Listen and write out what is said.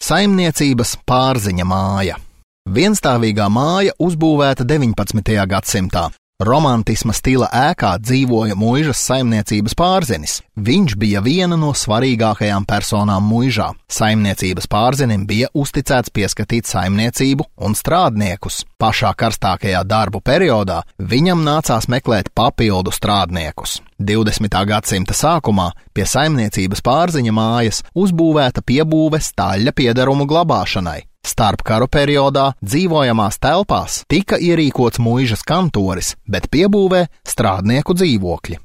Saimniecības Pārziņa māja. Vienstāvīgā māja uzbūvēta 19. gadsimtā. Romantisma stila ēkā dzīvoja muižas saimniecības pārzinis. Viņš bija viena no svarīgākajām personām muižā. Saimniecības pārzinim bija uzticēts pieskatīt saimniecību un strādniekus. Pašā karstākajā darbu periodā viņam nācās meklēt papildu strādniekus. 20. gadsimta sākumā pie saimniecības pārziņa mājas uzbūvēta piebūve staļļa piederumu glabāšanai. Starpkaru periodā dzīvojamās telpās tika ierīkots muižas kantoris, bet piebūvē strādnieku dzīvokļi.